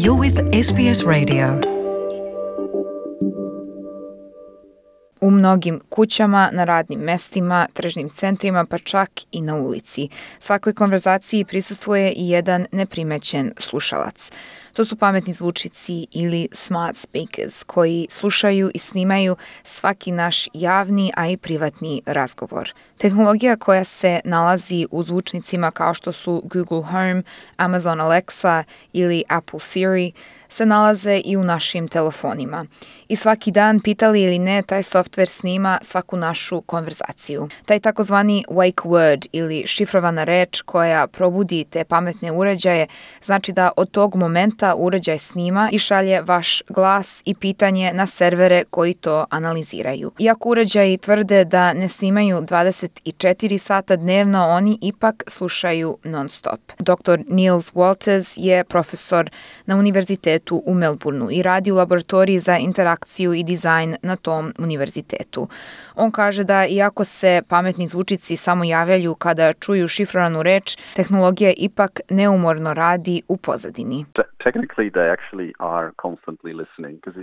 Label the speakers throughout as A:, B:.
A: You're with SBS Radio. U mnogim kućama, na radnim mestima, tržnim centrima, pa čak i na ulici. Svakoj konverzaciji prisustvuje i jedan neprimećen slušalac. To su pametni zvučnici ili smart speakers koji slušaju i snimaju svaki naš javni, a i privatni razgovor. Tehnologija koja se nalazi u zvučnicima kao što su Google Home, Amazon Alexa ili Apple Siri se nalaze i u našim telefonima. I svaki dan, pitali ili ne, taj softver snima svaku našu konverzaciju. Taj takozvani wake word ili šifrovana reč koja probudi te pametne uređaje znači da od tog momenta uređaj snima i šalje vaš glas i pitanje na servere koji to analiziraju. Iako uređaji tvrde da ne snimaju 24 sata dnevno, oni ipak slušaju non stop. Dr. Niels Wolters je profesor na univerzitetu u Melbourneu i radi u laboratoriji za interakciju i dizajn na tom univerzitetu. On kaže da iako se pametni zvučici samo javljaju kada čuju šifrovanu reč, tehnologija ipak neumorno radi u pozadini.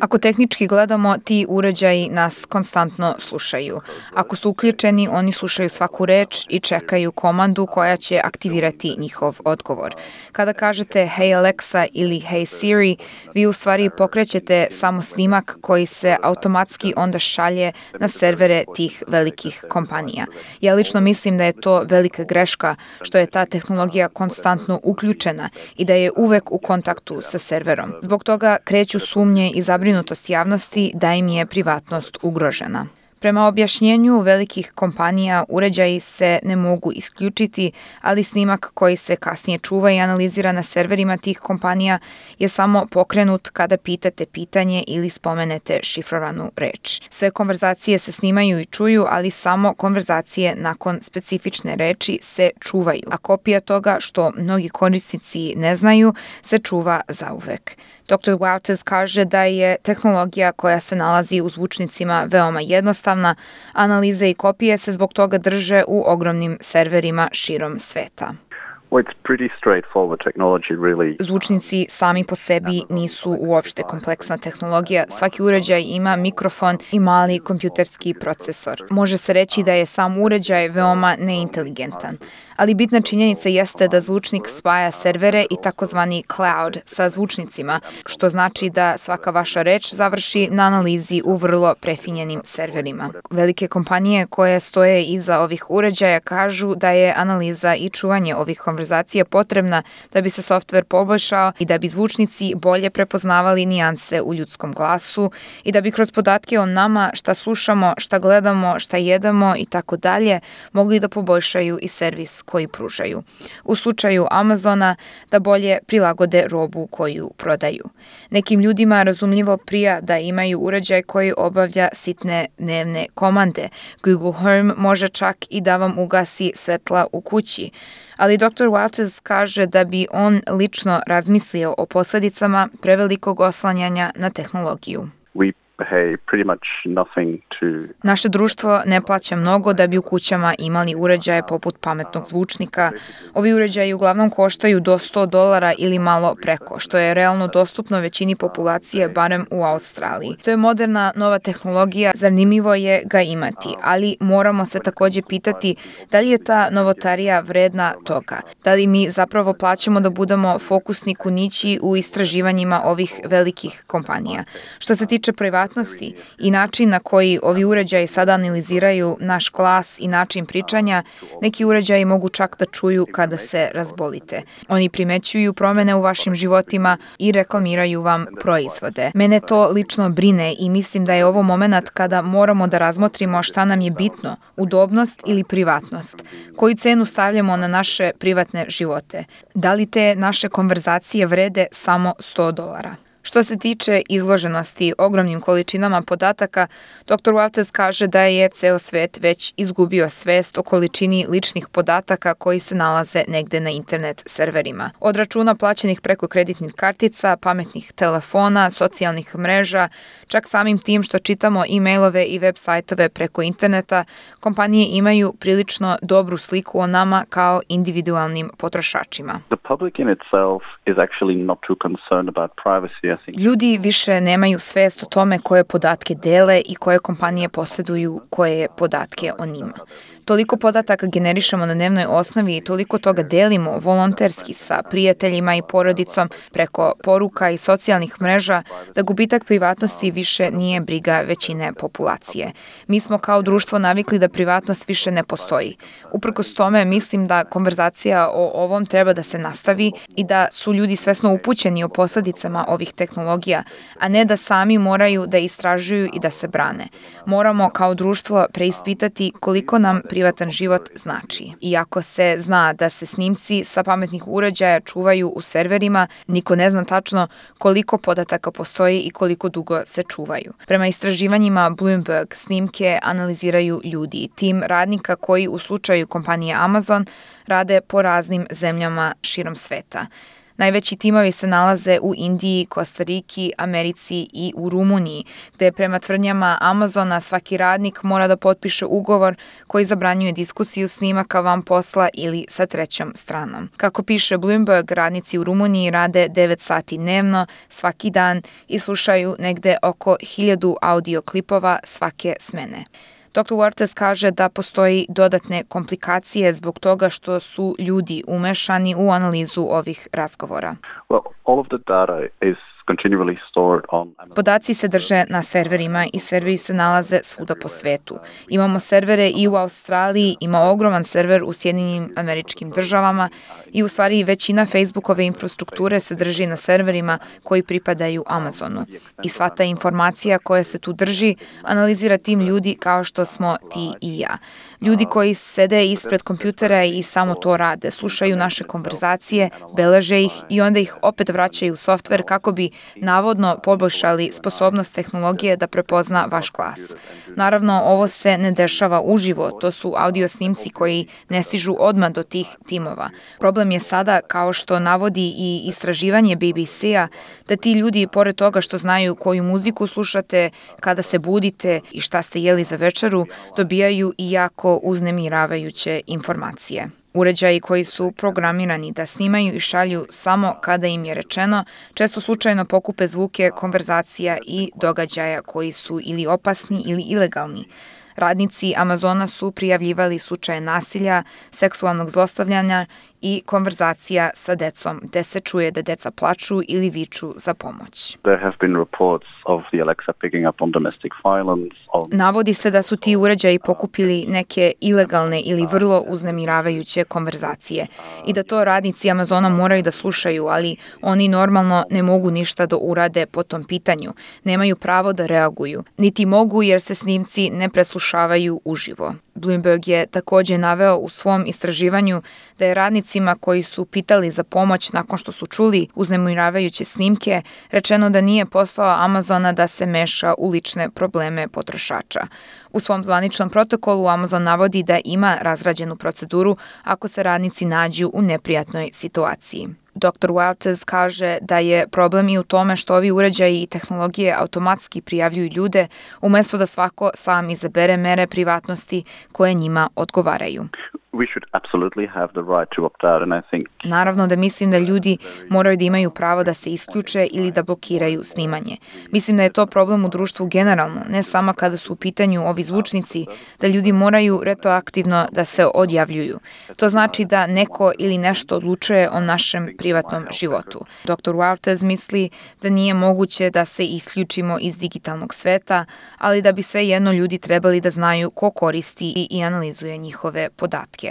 A: Ako tehnički gledamo, ti uređaji nas konstantno slušaju. Ako su uključeni, oni slušaju svaku reč i čekaju komandu koja će aktivirati njihov odgovor. Kada kažete Hey Alexa ili Hey Siri, vi u stvari pokrećete samo snimak koji se automatski onda šalje na servere tih velikih kompanija. Ja lično mislim da je to velika greška što je ta tehnologija konstantno uključena i da je uvek u kontaktu sa serverom. Zbog toga kreću sumnje i zabrinutost javnosti da im je privatnost ugrožena. Prema objašnjenju velikih kompanija, uređaji se ne mogu isključiti, ali snimak koji se kasnije čuva i analizira na serverima tih kompanija je samo pokrenut kada pitate pitanje ili spomenete šifrovanu reč. Sve konverzacije se snimaju i čuju, ali samo konverzacije nakon specifične reči se čuvaju, a kopija toga, što mnogi korisnici ne znaju, se čuva zauvek. Dr. Wouters kaže da je tehnologija koja se nalazi u zvučnicima veoma jednostavna, analize i kopije se zbog toga drže u ogromnim serverima širom sveta. Zvučnici sami po sebi nisu uopšte kompleksna tehnologija. Svaki uređaj ima mikrofon i mali kompjuterski procesor. Može se reći da je sam uređaj veoma neinteligentan. Ali bitna činjenica jeste da zvučnik spaja servere i takozvani cloud sa zvučnicima, što znači da svaka vaša reč završi na analizi u vrlo prefinjenim serverima. Velike kompanije koje stoje iza ovih uređaja kažu da je analiza i čuvanje ovih konverzacija potrebna da bi se softver poboljšao i da bi zvučnici bolje prepoznavali nijanse u ljudskom glasu i da bi kroz podatke o nama, šta slušamo, šta gledamo, šta jedemo i tako dalje, mogli da poboljšaju i servis koji pružaju. U slučaju Amazona, da bolje prilagode robu koju prodaju. Nekim ljudima razumljivo prija da imaju uređaj koji obavlja sitne dnevne komande. Google Home može čak i da vam ugasi svetla u kući. Ali Dr. Wouters kaže da bi on lično razmislio o posledicama prevelikog oslanjanja na tehnologiju. Naše društvo ne plaća mnogo da bi u kućama imali uređaje poput pametnog zvučnika. Ovi uređaji uglavnom koštaju do $100 ili malo preko, što je realno dostupno većini populacije, barem u Australiji. To je moderna, nova tehnologija, zanimljivo je ga imati, ali moramo se takođe pitati da li je ta novotarija vredna toga. Da li mi zapravo plaćamo da budemo fokusni kunići u istraživanjima ovih velikih kompanija. Što se tiče privatnosti i način na koji ovi uređaji sada analiziraju naš glas i način pričanja, neki uređaji mogu čak da čuju kada se razbolite. Oni primećuju promene u vašim životima i reklamiraju vam proizvode. Mene to lično brine i mislim da je ovo moment kada moramo da razmotrimo šta nam je bitno, udobnost ili privatnost. Koju cenu stavljamo na naše privatne živote? Da li te naše konverzacije vrede samo $100? Što se tiče izloženosti ogromnim količinama podataka, dr. Walters kaže da je ceo svet već izgubio svest o količini ličnih podataka koji se nalaze negde na internet serverima. Od računa plaćenih preko kreditnih kartica, pametnih telefona, socijalnih mreža, čak samim tim što čitamo e-mailove i web sajtove preko interneta, kompanije imaju prilično dobru sliku o nama kao individualnim potrošačima. Ljudi više nemaju svest o tome koje podatke dele i koje kompanije posjeduju koje podatke o njima. Toliko podataka generišemo na dnevnoj osnovi i toliko toga delimo volonterski sa prijateljima i porodicom preko poruka i socijalnih mreža da gubitak privatnosti više nije briga većine populacije. Mi smo kao društvo navikli da privatnost više ne postoji. Uprkos tome mislim da konverzacija o ovom treba da se nastavi i da su ljudi svesno upućeni o posledicama ovih tehnologija, a ne da sami moraju da istražuju i da se brane. Moramo kao društvo preispitati koliko nam privatan život znači. Iako se zna da se snimci sa pametnih uređaja čuvaju u serverima, niko ne zna tačno koliko podataka postoji i koliko dugo se čuvaju. Prema istraživanjima Bloomberg, snimke analiziraju ljudi, tim radnika koji u slučaju kompanije Amazon rade po raznim zemljama širom sveta. Najveći timovi se nalaze u Indiji, Kostariki, Americi i u Rumuniji, gde prema tvrdnjama Amazona svaki radnik mora da potpiše ugovor koji zabranjuje diskusiju snimaka van posla ili sa trećom stranom. Kako piše Bloomberg, radnici u Rumuniji rade 9 sati dnevno, svaki dan i slušaju negde oko 1000 audio klipova svake smene. Dr. Walters kaže da postoji dodatne komplikacije zbog toga što su ljudi umešani u analizu ovih razgovora. Podaci se drže na serverima i serveri se nalaze svuda po svetu. Imamo servere i u Australiji, ima ogroman server u Sjedinjenim Američkim Državama i u stvari većina Facebookove infrastrukture se drži na serverima koji pripadaju Amazonu. I sva ta informacija koja se tu drži analizira tim ljudi kao što smo ti i ja. Ljudi koji sede ispred kompjutera i samo to rade, slušaju naše konverzacije, beleže ih i onda ih opet vraćaju u softver kako bi navodno poboljšali sposobnost tehnologije da prepozna vaš glas. Naravno, ovo se ne dešava uživo, to su audio snimci koji ne stižu odmah do tih timova. Problem je sada, kao što navodi i istraživanje BBC-a, da ti ljudi, pored toga što znaju koju muziku slušate, kada se budite i šta ste jeli za večeru, dobijaju i jako uznemiravajuće informacije. Uređaji koji su programirani da snimaju i šalju samo kada im je rečeno, često slučajno pokupe zvuke konverzacija i događaja koji su ili opasni ili ilegalni. Radnici Amazona su prijavljivali slučaje nasilja, seksualnog zlostavljanja i konverzacija sa decom, gde se čuje da deca plaču ili viču za pomoć. Navodi se da su ti uređaji pokupili neke ilegalne ili vrlo uznemiravajuće konverzacije i da to radnici Amazona moraju da slušaju, ali oni normalno ne mogu ništa da urade po tom pitanju, nemaju pravo da reaguju, niti mogu jer se snimci ne preslušavaju uživo. Bloomberg je takođe naveo u svom istraživanju da je radnicima koji su pitali za pomoć nakon što su čuli uznemiravajuće snimke rečeno da nije posao Amazona da se meša u lične probleme potrošača. U svom zvaničnom protokolu Amazon navodi da ima razrađenu proceduru ako se radnici nađu u neprijatnoj situaciji. Dr. Walters kaže da je problem i u tome što ovi uređaji i tehnologije automatski prijavljuju ljude umesto da svako sam izabere mere privatnosti koje njima odgovaraju. Naravno da mislim da ljudi moraju da imaju pravo da se isključe ili da blokiraju snimanje. Mislim da je to problem u društvu generalno, ne samo kada su u pitanju ovi zvučnici, da ljudi moraju retroaktivno da se odjavljuju. To znači da neko ili nešto odlučuje o našem privatnom životu. Dr. Walters misli da nije moguće da se isključimo iz digitalnog sveta, ali da bi svejedno ljudi trebali da znaju ko koristi i analizuje njihove podatke.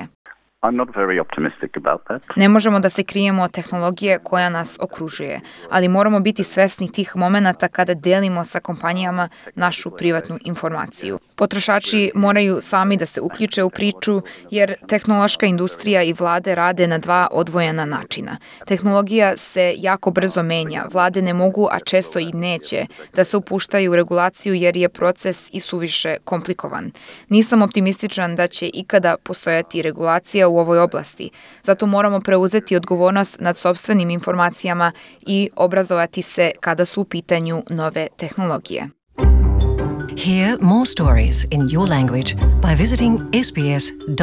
B: I'm not very optimistic about that.
A: Ne možemo da se krijemo od tehnologije koja nas okružuje, ali moramo biti svesni tih momenata kada delimo sa kompanijama našu privatnu informaciju. Potrošači moraju sami da se uključe u priču, jer tehnološka industrija i vlade rade na dva odvojena načina. Tehnologija se jako brzo menja, vlade ne mogu, a često i neće, da se upuštaju u regulaciju jer je proces i suviše komplikovan. Nisam optimističan da će ikada postojati regulacija u ovoj oblasti, zato moramo preuzeti odgovornost nad sopstvenim informacijama i obrazovati se kada su u pitanju nove tehnologije.
C: Hear more stories in your language by visiting sbs.com.au.